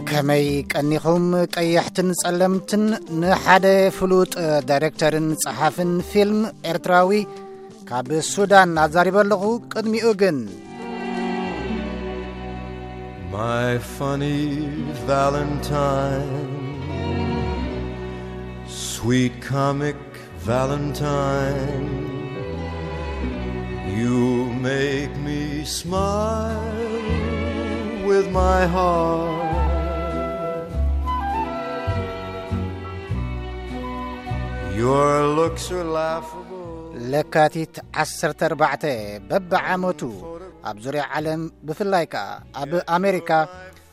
ከመይ ቀኒኹም ቀያሕትን ጸለምትን? ንሓደ ፍሉጥ ዳይሬክተርን ጸሓፍን ፊልም ኤርትራዊ ካብ ሱዳን ኣዛሪበ ኣለኹ። ቅድሚኡ ግን My funny Valentine, sweet comic Valentine, you make me smile with my heart. Your looks are laughable. ለካቲት ዓሰርተ ኣርባዕተ በብዓመቱ ኣብ ዙርያ ዓለም፣ ብፍላይ ከኣ ኣብ ኣሜሪካ፣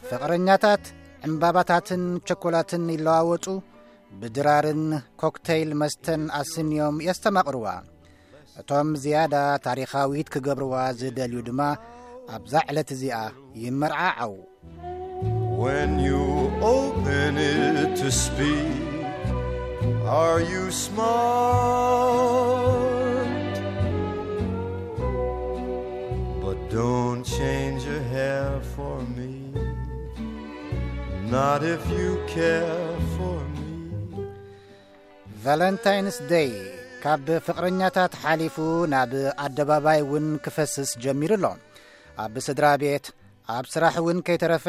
ፍቕረኛታት ዕምባባታትን ቸኮላትን ይለዋወጡ፣ ብድራርን ኮክተይል መስተን ኣስንዮም የስተማቕርዋ። እቶም ዝያዳ ታሪኻዊት ክገብርዋ ዝደልዩ ድማ ኣብዛ ዕለት እዚኣ ይመርዓዓው። When you open it to speak, are you smart? But don't change your hair for me, not if you care for me. ቫለንታይንስ ደይ ካብ ፍቕረኛታት ሓሊፉ ናብ ኣደባባይ እውን ክፈስስ ጀሚሩ ኣሎ። ኣብ ስድራ ቤት፣ ኣብ ስራሕ እውን ከይተረፈ፣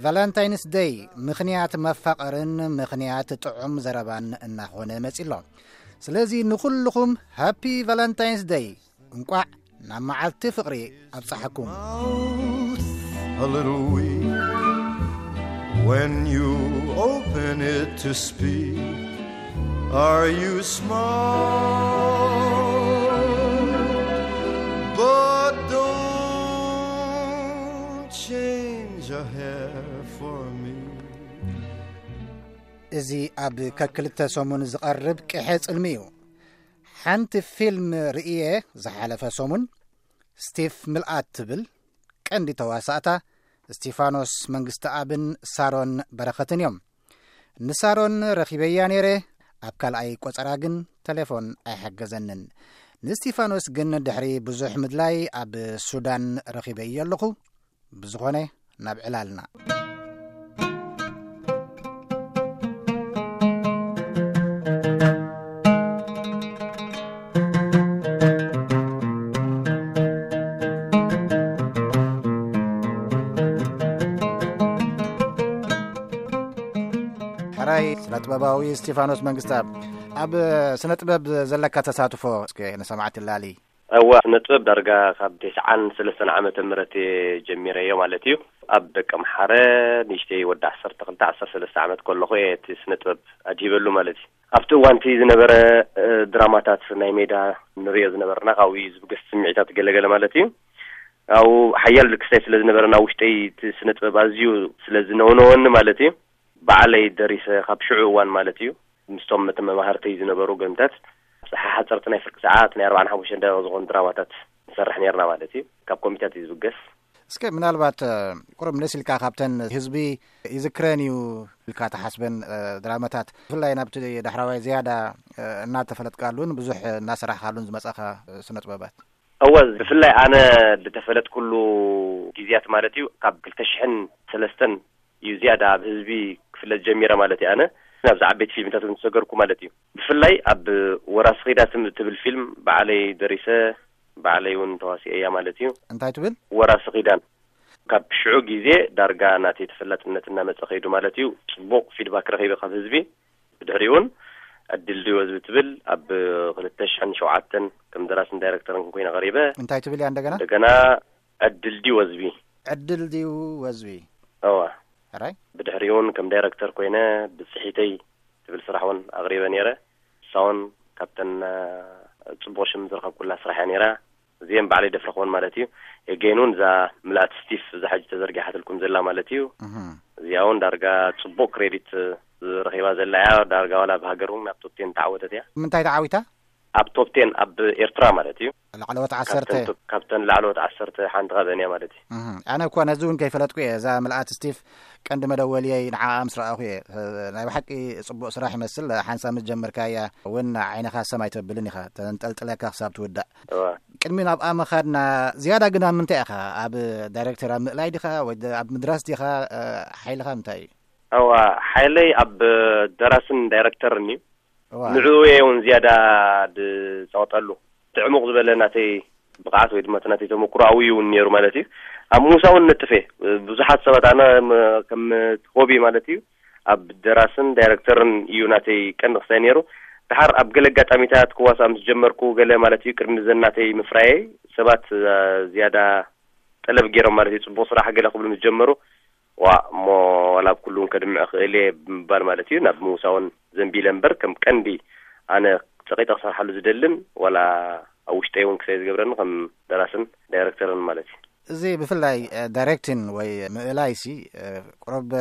ቫለንታይንስ ደይ ምኽንያት መፋቐርን ምኽንያት ጥዑም ዘረባን እናኾነ መጺ ኣሎ። ስለዚ ንኹልኹም ሃፒ ቫለንታይንስ ደይ፣ እንቋዕ ናብ መዓልቲ ፍቕሪ ኣብጽሓኩም። Mouth a little weak when you open it to speak. Are you smart? But don't change a hair for me. እዚ ኣብ ከክልተ ሰሙን ዝቐርብ ቅሐ ጽልሚ እዩ። ሓንቲ ፊልም ርእየ ዝሓለፈ ሰሙን፣ ስቲፍ ምልኣት ትብል ቀንዲ ተዋሳእታ፣ እስቲፋኖስ መንግስተኣብን ሳሮን በረኸትን እዮም። ንሳሮን ረኺበያ ነይረ፣ ኣብ ካልኣይ ቆጸራ ግን ተሌፎን ኣይሓገዘንን። ንእስቲፋኖስ ግን ድሕሪ ብዙሕ ምድላይ ኣብ ሱዳን ረኺበዮ ኣለኹ። ብዝኾነ፣ ናብ ዕላልና። ሕራይ ስነ ጥበባዊ እስቲፋኖስ መንግስተኣብ፣ ኣብ ስነ ጥበብ ዘለካ ተሳትፎ እስከ ንሰማዕቲ ላሊ። እዋ፣ ስነ ጥበብ ዳርጋ ካብ ተስዓን ሰለስተን ዓመተ ምህረት እየ ጀሚረዮ ማለት እዩ። ኣብ ደቀምሓረ ንእሽተይ ወዲ ዓሰርተ ክልተ ዓሰርተ ሰለስተ ዓመት ከለኹ እየ እቲ ስነ ጥበብ ኣድሂበሉ ማለት እዩ። ኣብቲ እዋንቲ ዝነበረ፣ እ፣ ድራማታት ናይ ሜዳ ንሪኦ ዝነበርና፣ ካብኡ እዩ ዝብገስ ስምዒታት ገለገለ ማለት እዩ። ኣብኡ ሓያል ክስታይ ስለ ዝነበረ፣ ናብ ውሽጠይ እቲ ስነ ጥበብ ኣዝዩ ስለ ዝነውነወኒ ማለት እዩ። ባዕለይ ደሪሰ፣ ካብ ሽዑ እዋን ማለት እዩ። ምስቶም መተ-፣ መማህርተይ ዝነበሩ ገንታት፣ ሓሓፀርቲ ናይ ፍርቂ ሰዓት፣ ናይ ኣርባዓን ሓሙሽተን ደቂቕ ዝኾኑ ድራማታት ንሰርሕ ነርና ማለት እዩ። ካብ ኮሚታት እዩ ዝብገስ። እስከ ምናልባት፣ እ፣ ቁሩብ መለስ ኢልካ ካብተን ህዝቢ ይዝክረን እዩ ኢልካ ትሓስበን፣ እ፣ ድራማታት፣ ብፍላይ ናብቲ ዳሕራዋይ ዝያዳ፣ እ፣ እናተፈለጥካሉን ብዙሕ እናሰራሕካሉን ዝመጻኻ፣ እ፣ ስነ ጥበባት? እወ፣ ብፍላይ ኣነ ዝተፈለጥኩሉ ግዜያት ማለት እዩ፣ ካብ ክልተ ሽሕን ሰለስተን እዩ ዝያዳ ኣብ ህዝቢ ክፍለጥ ጀሚረ ማለት እዩ። ኣነ ናብዚ ዓበይቲ ፊልምታት እውን ዝሰገርኩ ማለት እዩ። ብፍላይ ኣብ ወራሲ ኺዳን ትም-፣ ትብል ፊልም ባዕለይ ደሪሰ፣ ባዕለይ እውን ተዋሲኤያ ማለት እዩ። እንታይ ትብል? ወራሲ ኺዳን። ካብ ሽዑ ግዜ ዳርጋ ናተይ ተፈላጥነት እናመጸ ኸይዱ ማለት እዩ። ጽቡቕ ፊድባክ ረኺበ ካብ ህዝቢ። ብድሕሪኡ እውን ዕድል ድዮ ዝብል ትብል ኣብ ክልተ ሽሕን ሸውዓተን ከም ደራስን ዳይረክተርን ኮይነ ቀሪበ። እንታይ ትብል እያ እንደገና? እንደገና ዕድል ድዮ ዝቢ። ዕድል ድዩ ወዝቢ? እዋ። ሕራይ? ብድሕሪኡ እውን ከም ዳይረክተር ኮይነ ብጽሒተይ ትብል ስራሕ እውን ኣቕሪበ ነይረ። እሳ እውን ካብተን፣ እ፣ ጽቡቕ ሽም ዝረኸብኩላ ስራሕ እያ ነይራ። እዚአን ባዕለይ ደፍረኽወን ማለት እዩ። ኤጌን እውን እዛ ምልኣት ስቲፍ እዛ ሕጂ ተዘርጊሓትልኩም ዘላ ማለት እዩ። እህም። እዚኣ እውን ዳርጋ ጽቡቕ ክሬዲት ዝረኺባ ዘላ እያ። ዳርጋ ዋላ ኣብ ሃገር እውን ኣብ ቶፕ ቴን ተዓወተት እያ። ምንታይ ተዓዊታ? ኣብ ቶፕ ቴን ኣብ ኤርትራ ማለት እዩ። ላዕለዎት ዓሰርተ። ካብተን ላዕለዎት ዓሰርተ ሓንቲ ካብአን እያ ማለት እዩ። ኣነ እኳ ነዚ እውን ከይፈለጥኩ እየ። እዛ ምልኣት ስቲፍ ቀንዲ መደወልየይ፣ ንዓ ምስ ረኣኹ እየ። ናይ ብሓቂ ጽቡቕ ስራሕ ይመስል። ሓንሳብ ምስ ጀመርካያ እውን ዓይንኻ ሰማይ ተብልን ኢኻ፣ ተንጠልጥለካ ክሳብ ትውዳእ። ቅድሚ ናብኣ ምኻድና፣ ዝያዳ ግን ኣብ ምንታይ ኢኻ? ኣብ ዳይሬክተር ኣብ ምእላይ ዲኻ ወይ ኣብ ምድራስ ዲኻ? ሓይልኻ ምንታይ እዩ? እዋ፣ ሓይለይ ኣብ ደራስን ዳይሬክተርን እዩ። ንዕኡ እየ እውን ዝያዳ ዝፀቕጠሉ። ትዕሙቕ ዝበለ ናተይ ብቕዓት ወይ ድማ እቲ ናተይ ተመክሮ ኣብኡ እውን ነይሩ ማለት እዩ። ኣብ ምውሳእ እውን ነጥፍ እየ። ብዙሓት ሰባት፣ ኣነ ከም ሆቢ ማለት እዩ፣ ኣብ ደራስን ዳይሬክተርን እዩ ናተይ ቀንዲ ክሳይ ነይሩ። ድሓር ኣብ ገለ ኣጋጣሚታት ክዋሳእ ምስ ጀመርኩ፣ ገለ ማለት እዩ፣ ቅድሚ ዘን ናተይ ምፍራየይ ሰባት ዝያዳ ጠለብ ገይሮም ማለት እዩ። ፅቡቕ ስራሕ ገለ ክብሉ ምስ ጀመሩ፣ ዋ እሞ ዋላ ኣብ ኩሉ እውን ከድምዕ ክእል እየ ብምባል ማለት እዩ፣ ናብ ምውሳውን ዘንቢለ እምበር፣ ከም ቀንዲ ኣነ ፀቂጠ ክሰርሓሉ ዝደልን ዋላ ኣብ ውሽጠይ እውን ክሳይ ዝገብረኒ ከም ደራስን ዳይሬክተርን ማለት እዩ። እዚ ብፍላይ ዳይሬክቲን ወይ ምእላይሲ ቁሩብ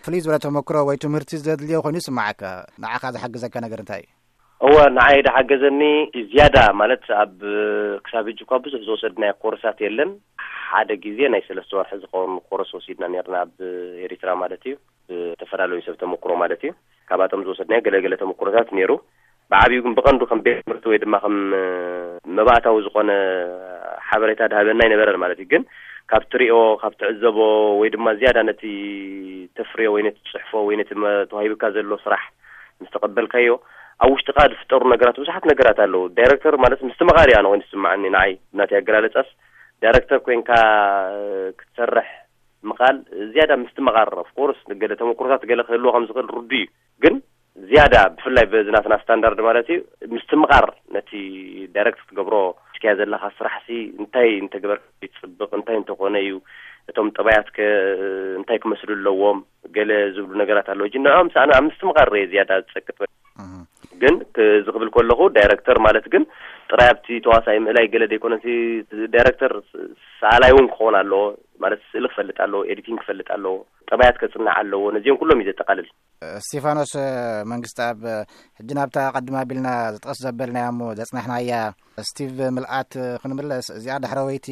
ፍልይ ዝበለ ተመክሮ ወይ ትምህርቲ ዘድልዮ ኮይኑ ይስማዓካ። ንዓኻ ዝሓግዘካ ነገር እንታይ እዩ? እወ፣ ንዓይ ዝሓገዘኒ ዝያዳ ማለት፣ ኣብ ክሳብ ሕጂ እኳ ብዙሕ ዝወሰድናዮ ኮርሳት የለን። ሓደ ግዜ ናይ ሰለስተ ወርሒ ዝኸውን ኮርስ ወሲድና ነርና፣ ኣብ ኤሪትራ ማለት እዩ፣ ብተፈላለዩ ሰብ ተመክሮ ማለት እዩ። ካብኣቶም ዝወሰድናዮ ገለገለ ተመክሮታት ነይሩ። ብዓብዩ ግን ብቐንዱ ከም ቤት ትምህርቲ ወይ ድማ ከም መባእታዊ ዝኾነ ሓበሬታ ድሃበና ኣይነበረን ማለት እዩ። ግን ካብ ትሪኦ፣ ካብ ትዕዘቦ ወይ ድማ ዝያዳ ነቲ ተፍርዮ ወይ ነቲ ትጽሕፎ ወይ ነቲ ተዋሂብካ ዘሎ ስራሕ ምስ ተቐበልካዮ፣ ኣብ ውሽጥኻ ዝፍጠሩ ነገራት፣ ብዙሓት ነገራት ኣለዉ። ዳይረክተር ማለት ምስትምቓር እዩ ኣነ ኮይኑ ዝስምዓኒ፣ ንዓይ ናተይ ኣገላለጻስ። ዳይረክተር ኮይንካ ክትሰርሕ ምቓል ዝያዳ ምስትምቓር፣ ኦፍኮርስ ገለ ተመክሮታት ገለ ክህልዎ ከም ዝኽእል ርዱ እዩ። ግን ዝያዳ ብፍላይ በዚ ናትና ስታንዳርድ ማለት እዩ፣ ምስትምቓር ነቲ ዳይረክት ክትገብሮ እስኪያ ዘለኻ ስራሕሲ እንታይ እንተገበርካ ይፅብቕ፣ እንታይ እንተኾነ እዩ፣ እቶም ጠባያትከ እንታይ ክመስሉ ኣለዎም፣ ገለ ዝብሉ ነገራት ኣለዉ። ሕጂ ንዕኦም ሰኣነ ኣብ ምስትምቓር ርየ ዝያዳ ዝፀቅጥ። ግን እዚ ክብል ከለኹ ዳይረክተር ማለት ግን ጥራይ ኣብቲ ተዋሳኢ ምእላይ ገለ ደይኮነሲ፣ ዳይረክተር ሰኣላይ እውን ክኸውን ኣለዎ። ማለት ስእሊ ክፈልጥ ኣለዎ፣ ኤዲቲንግ ክፈልጥ ኣለዎ፣ ጠባያት ከፅንዕ ኣለዎ። ነዚኦም ኩሎም እዩ ዘጠቓልል። እስቲፋኖስ መንግስቲ ኣብ ሕጂ ናብታ ቀድም ኣቢልና ዝጠስ ዘበልናያ እሞ ዘጽናሕናያ ስቲቭ ምልኣት ክንምለስ፣ እዚኣ ዳሕረወይቲ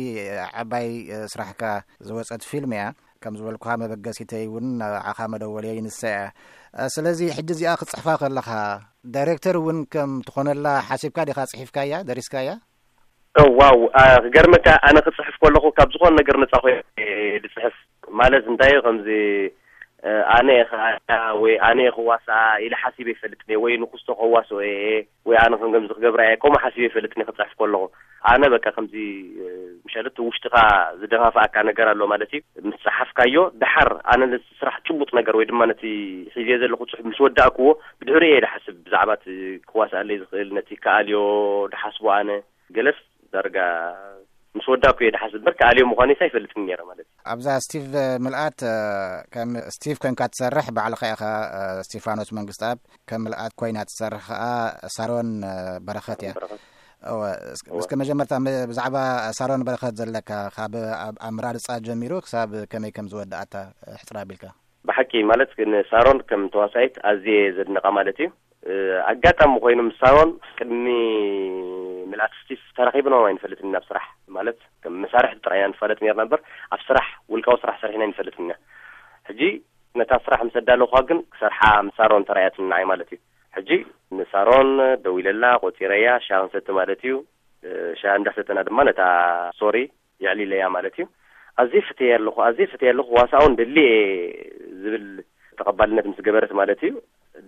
ዓባይ ስራሕካ ዝወጸት ፊልም እያ። ከም ዝበልኩኻ መበገሲተይ እውን ንዓኻ መደወልየይ ንሳ እያ። ስለዚ ሕጂ እዚኣ ክትጽሕፋ ከለኻ ዳይሬክተር እውን ከም ትኾነላ ሓሲብካ ዲኻ ጽሒፍካያ፣ ደሪስካያ? ዋው፣ ክገርመካ፣ ኣነ ክፅሕፍ ከለኹ ካብ ዝኾነ ነገር ነፃ ኮይነ ዝፅሕፍ። ማለት እንታይ እዩ፣ ከምዚ ኣነ እየ ክኣያ ወይ ኣነ እየ ክዋስኣ ኢለ ሓሲበ ይፈልጥን እየ፣ ወይ ንኩስቶ ከዋስኦ እየ ወይ ኣነ ከም ከምዚ ክገብራ እየ፣ ከምኡ ሓሲበ ይፈልጥን እየ ክፅሕፍ ከለኹ። ኣነ በቃ ከምዚ ምሻለት ውሽጥኻ ዝደፋፍኣካ ነገር ኣሎ ማለት እዩ። ምስ ፀሓፍካዮ፣ ደሓር ኣነ ነቲ ስራሕ ጭቡጥ ነገር ወይ ድማ ነቲ ሒዘ ዘለኹ ፅሑፍ ምስ ወዳእክዎ፣ ብድሕሪኡ እየ ድሓስብ ብዛዕባ እቲ ክዋስኣለይ ዝኽእል፣ ነቲ ከኣልዮ ድሓስቦ ኣነ። ገለስ ዳርጋ ምስ ወዳእኩ እየ ድሓስብ እምበር፣ ከኣልዮ ምዃነይስ ኣይፈልጥን ነይረ ማለት እዩ። ኣብዛ ስቲቭ ምልኣት ከም ስቲቭ ኮንካ ትሰርሕ ባዕልኻ ኢኻ፣ ስቲፋኖስ መንግስትኣብ። ከም ምልኣት ኮይና ትሰርሕ ከኣ ሳሮን በረኸት እያ። እወ፣ እስከ መጀመርታ ብዛዕባ ሳሮን በረኸት ዘለካ፣ ካብ ኣምራርፃ ጀሚሩ ክሳብ ከመይ ከም ዝወዳኣታ ሕፅር ኣቢልካ። ብሓቂ ማለት ግን ሳሮን ከም ተዋሳኢት ኣዝየ ዘድንቓ ማለት እዩ። ኣጋጣሚ ኮይኑ ምስ ሳሮን ቅድሚ ምልኣት ስቲፍ ተራኺብና ኣይንፈልጥን ኢና። ኣብ ስራሕ ማለት ከም መሳርሕቲ ጥራይ ኢና ንፋለጥ ነርና እምበር ኣብ ስራሕ ውልቃዊ ስራሕ ሰሪሕና ኣይንፈልጥን ኢና። ሕጂ ነታ ስራሕ ምስ ኣዳለኹዋ ግን ክሰርሓ ምስ ሳሮን ተራእያትኒ ንዓይ ማለት እዩ። ሕጂ ንሳሮን ደዊለላ፣ ቆጺረያ፣ ሻሂ ክንሰቲ ማለት እዩ። ሻሂ እንዳሰተና ድማ ነታ ስቶሪ የዕሊለያ ማለት እዩ። ኣዝየ ፈትየያ ኣለኹ፣ ኣዝየ ፈትየያ ኣለኹ፣ ዋሳውን ደሊ እየ ዝብል ተቐባልነት ምስ ገበረት ማለት እዩ፣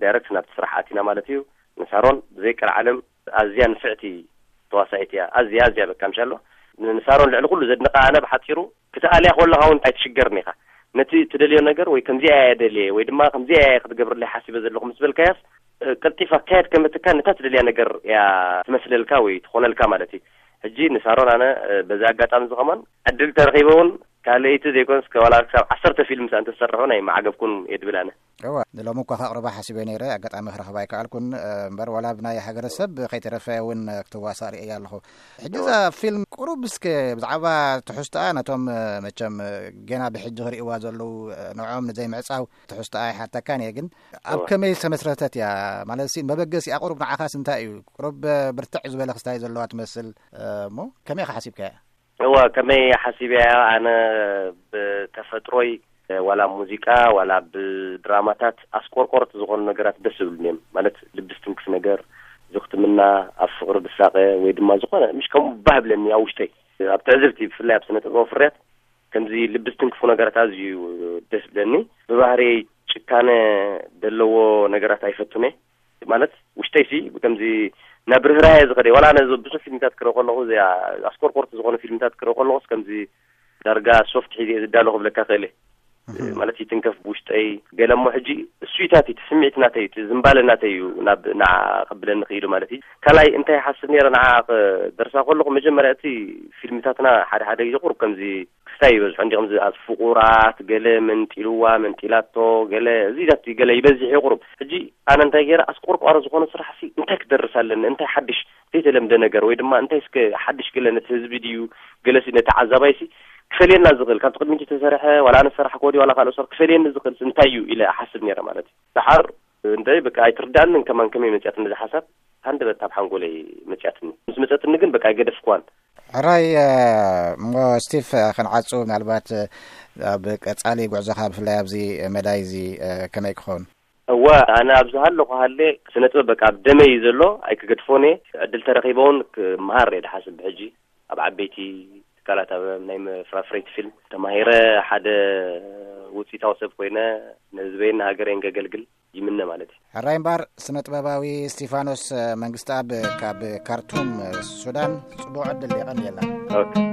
ዳይረክት ናብቲ ስራሕ ኣቲና ማለት እዩ። ንሳሮን ብዘይ ቀልዓለም ኣዝያ ንፍዕቲ ተዋሳኢት እያ። ኣዝያ፣ ኣዝያ በቃ ምሻሎ። ንሳሮን ልዕሊ ኩሉ ዘድንቓ ኣነ ብሓጺሩ ክትኣልያ ከለኻ እውን ኣይትሽገርን ኢኻ። ነቲ ትደልዮ ነገር ወይ ከምዚኣ እየ ደልየ ወይ ድማ ከምዚኣ እየ ክትገብርለይ ሓሲበ ዘለኹ ምስ በልካያስ፣ ቀልጢፋ ኣካየድ ከመትካ ነታ ትደልያ ነገር እያ ትመስለልካ ወይ ትኾነልካ ማለት እዩ። ሕጂ ንሳሮን ኣነ በዚ ኣጋጣሚ እዚ ከማን ዕድል ተረኺበ እውን ካልኣይቲ ዘይኮንስ ዋላ ክሳብ ዓሰርተ ፊልም እንተሰርሑ ናይ ማዕገብኩን እየ ድብል ኣነ። እዋ፣ ንሎሚ እኳ ከቕርባ ሓሲበ ነይረ፣ ኣጋጣሚ ክረኽባ ኣይከኣልኩን። እምበር ዋላ ብናይ ሃገረሰብ ከይተረፈ እውን ክትዋሳእ ርእየ ኣለኹ። ሕጂ እዛ ፊልም ቁሩብ እስከ ብዛዕባ ትሕዝቶኣ ነቶም መቸም ገና ብሕጂ ክርእይዋ ዘለዉ ንዕኦም ንዘይምዕጻው ትሕዝቶኣ ኣይሓተካን እየ። ግን ኣብ ከመይ ዝተመስረተት እያ? ማለት ሲ መበገሲኣ ቁሩብ ንዓኻስ እንታይ እዩ? ቁሩብ ብርትዕ ዝበለ ክስታይ ዘለዋ ትመስል እሞ ከመይ ኢኻ ሓሲብካያ? እዋ፣ ከመይ ሓሲበያ? ኣነ ብተፈጥሮይ ዋላ ሙዚቃ ዋላ ብድራማታት ኣስቆርቆርቲ ዝኾኑ ነገራት ደስ ዝብሉኒ እዮም። ማለት ልቢ ዝትንክፍ ነገር፣ ዝኽትምና፣ ኣብ ፍቕሪ ዝሳቐ ወይ ድማ ዝኾነ ምሽ ከምኡ ባህ ብለኒ ኣብ ውሽጠይ። ኣብ ትዕዝብቲ ብፍላይ ኣብ ስነ ጥበባዊ ፍርያት ከምዚ ልቢ ዝትንክፉ ነገራት ኣዝዩ ደስ ዝብለኒ። ብባህርየይ ጭካነ ዘለዎ ነገራት ኣይፈቱን እየ። ማለት ውሽጠይ ሲ ከምዚ ናብ ርህራሄ ዝኸደ ዋላ ነዚ ብዙሕ ፊልምታት ክርኢ ከለኹ እዚኣ ኣስቆርቆርቲ ዝኾኑ ፊልምታት ክርኢ ከለኹስ ከምዚ ዳርጋ ሶፍት ሒዘ ዝዳሎ ክብለካ ክእል እየ። ማለት ይትንከፍ ብውሽጠይ ገለ እሞ ሕጂ እሱይታት እቲ ስምዒት ናተይ እቲ ዝምባለ ናተይ እዩ ናብ ንዓ ከብለኒ ክኢሉ ማለት እዩ። ካልኣይ እንታይ ይሓስብ ነይረ ንዓ ክደርሳ ከለኹ መጀመርያ እቲ ፊልምታትና ሓደ ሓደ ግዜ ቁሩብ ከምዚ ክስታይ ይበዝሖ እንዲ ከምዚ ኣብ ፍቑራት ገለ መንጢልዋ መንጢላቶ ገለ እዚታት ገለ ይበዝሕ እዩ ቁሩብ። ሕጂ ኣነ እንታይ ገይረ ኣስቆርቋሪ ዝኾነ ስራሕ ሲ እንታይ ክደርስ ኣለኒ እንታይ ሓድሽ ዘይተለምደ ነገር ወይ ድማ እንታይ እስከ ሓድሽ ገለ ነቲ ህዝቢ ድዩ ገለሲ ነቲ ዓዛባይሲ ክፈልየና ዝኽእል ካብቲ ቅድሚት ዝተሰርሐ ዋላ ኣነ ዝሰራሕክዎ ድዩ ዋላ ካልኦ ሰብ ክፈልየኒ ዝኽእል እንታይ እዩ ኢለ እሓስብ ነይረ ማለት እዩ። ደሓር እንታይ በቃ ኣይትርዳእንን ከማን ከመይ መፅያትኒ እዛ ሓሳብ ሃንደበት ኣብ ሓንጎለይ መፅያትኒ። ምስ መፀትኒ ግን በቃ ኣይገደፍክዋን። ሕራይ እሞ ስቲፍ ክንዓፁ ምናልባት ኣብ ቀፃሊ ጉዕዞኻ ብፍላይ ኣብዚ መዳይ እዚ ከመይ ክኸውን? እወ ኣነ ኣብዚ ሃለኹ ሃለ ስነ ጥበብ በቃ ኣብ ደመይ እዩ ዘሎ ኣይክገድፎን እየ። ዕድል ተረኺበ እውን ክመሃር እየ ድሓስብ ብሕጂ ኣብ ዓበይቲ ትካላት ኣብ ናይ መፍራፍረይቲ ፊልም ተማሂረ ሓደ ውፅኢታዊ ሰብ ኮይነ ንህዝበይን ንሃገረይን ከገልግል ይምነ ማለት እዩ። ሕራይ እምበኣር ስነ ጥበባዊ እስቲፋኖስ መንግስተኣብ ካብ ካርቱም ሱዳን ፅቡቕ ዕድል የቐንየልና። ኦኬ።